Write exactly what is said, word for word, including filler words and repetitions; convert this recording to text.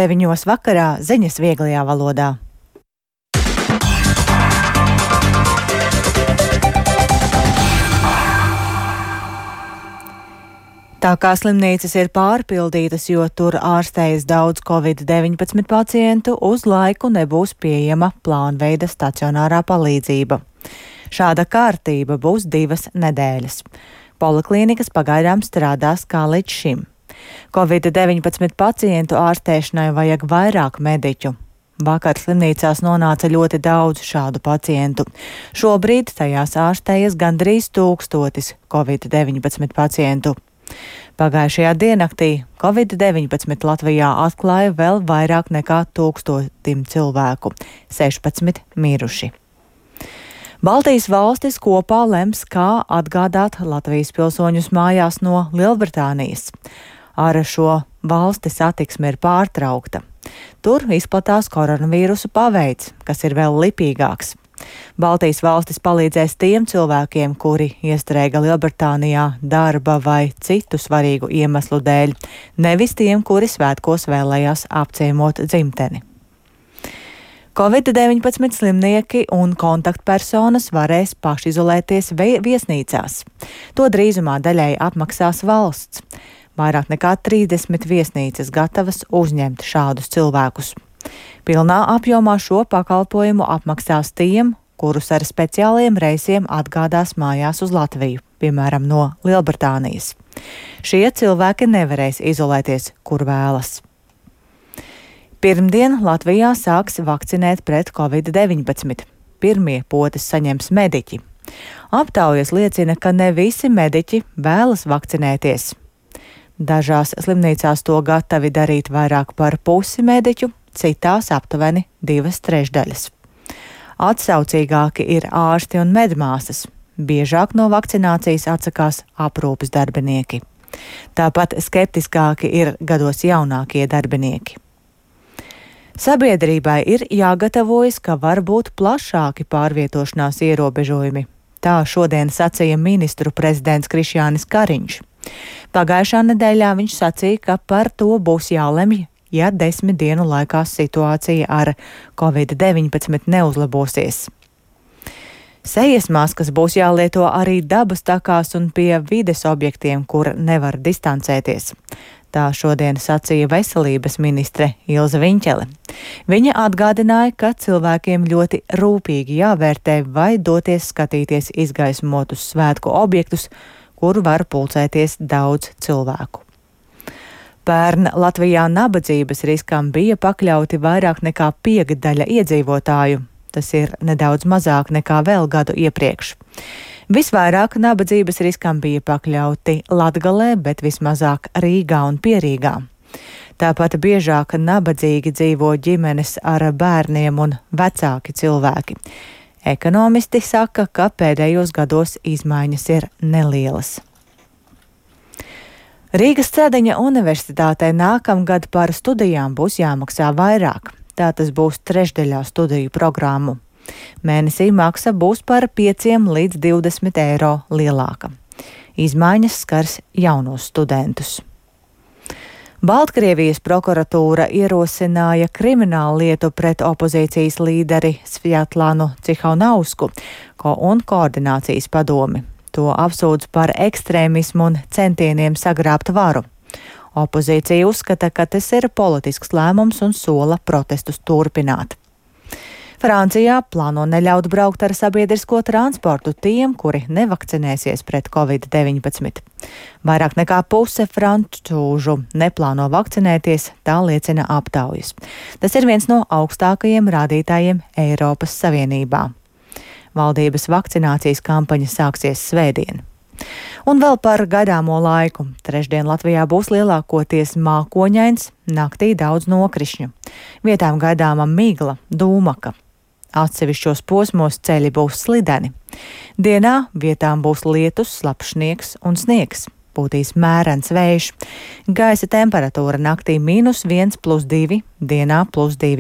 deviņos vakarā ziņas vieglajā valodā. Tā kā slimnīcas ir pārpildītas, jo tur ārstējas daudz covid deviņpadsmit pacientu, uz laiku nebūs pieejama plānveida stacionārā palīdzība. Šāda kārtība būs divas nedēļas. Poliklīnikas pagaidām strādās kā līdz šim. covid deviņpadsmit pacientu ārstēšanai vajag vairāk mediķu. Vakar slimnīcās nonāca ļoti daudz šādu pacientu. Šobrīd tajās ārstējas gandrīz tūkstotis covid deviņpadsmit pacientu. Pagājušajā diennaktī covid deviņpadsmit Latvijā atklāja vēl vairāk nekā tūkstotim cilvēku - sešpadsmit miruši. Baltijas valstis kopā lems, kā atgādāt Latvijas pilsoņus mājās no Lielbritānijas. Ar šo valsti satiksme ir pārtraukta. Tur izplatās koronavīrusu paveids, kas ir vēl lipīgāks. Baltijas valstis palīdzēs tiem cilvēkiem, kuri iestrēga Lielbritānijā darba vai citu svarīgu iemeslu dēļ, nevis tiem, kuri svētkos vēlējās apciemot dzimteni. covid deviņpadsmit slimnieki un kontaktpersonas varēs pašizolēties viesnīcās. To drīzumā daļai apmaksās valsts. Vairāk nekā trīsdesmit viesnīcas gatavas uzņemt šādus cilvēkus. Pilnā apjomā šo pakalpojumu apmaksās tiem, kurus ar speciāliem reisiem atgādās mājās uz Latviju, piemēram, no Lielbritānijas. Šie cilvēki nevarēs izolēties, kur vēlas. Pirmdien Latvijā sāks vakcinēt pret covid deviņpadsmit. Pirmie potes saņems mediķi. Aptaujas liecina, ka ne visi mediķi vēlas vakcinēties. Dažās slimnīcās to gatavi darīt vairāk par pusi mediķu, citās aptuveni divas trešdaļas. Atsaucīgāki ir ārsti un medmāsas. Biežāk no vakcinācijas atsakās aprūpes darbinieki. Tāpat skeptiskāki ir gados jaunākie darbinieki. Sabiedrībai ir jāgatavojas, ka var būt plašāki pārvietošanās ierobežojumi. Tā šodien sacīja ministru prezidents Krišjānis Kariņš. Pagājušā nedēļā viņš sacīja, ka par to būs jālemj, ja desmit dienu laikā situācija ar covid deviņpadsmit neuzlabosies. Sejas maskas būs jālieto arī dabas takās un pie vides objektiem, kur nevar distancēties. Tā šodien sacīja veselības ministre Ilze Viņķele. Viņa atgādināja, ka cilvēkiem ļoti rūpīgi jāvērtē, vai doties skatīties izgaismotus svētku objektus, kur var pulcēties daudz cilvēku. Pērn Latvijā nabadzības riskam bija pakļauti vairāk nekā piekdaļa iedzīvotāju. Tas ir nedaudz mazāk nekā vēl gadu iepriekš. Visvairāk nabadzības riskam bija pakļauti Latgalē, bet vismazāk Rīgā un Pierīgā. Tāpat biežāk nabadzīgi dzīvo ģimenes ar bērniem un vecāki cilvēki. Ekonomisti saka, ka pēdējos gados izmaiņas ir nelielas. Rīgas Cēdeņa universitātē nākamgad par studijām būs jāmaksā vairāk. Tā tas būs trešdaļā studiju programmu. Mēnesī maksa būs par pieciem līdz divdesmit eiro lielāka. Izmaiņas skars jaunos studentus. Baltkrievijas prokuratūra ierosināja kriminālu lietu pret opozīcijas līderi Svjatlanu Cihanovsku un koordinācijas padomi. To apsūdz par ekstrēmismu un centieniem sagrābt varu. Opozīcija uzskata, ka tas ir politisks lēmums un sola protestus turpināt. Francijā plāno neļaut braukt ar sabiedrisko transportu tiem, kuri nevakcinēsies pret covid deviņpadsmit. Vairāk nekā puse francūžu neplāno vakcinēties, tā liecina aptaujas. Tas ir viens no augstākajiem rādītājiem Eiropas Savienībā. Valdības vakcinācijas kampaņa sāksies svētdien. Un vēl par gaidāmo laiku. Trešdien Latvijā būs lielākoties mākoņains, naktī daudz nokrišņu. Vietām gaidāma migla, dūmaka. Atsevišķos posmos ceļi būs slideni. Dienā vietām būs lietus, slapjš sniegs un sniegs. Pūtīs mērens vējš. Gaisa temperatūra naktī mīnus viens plus divi, dienā plus divi.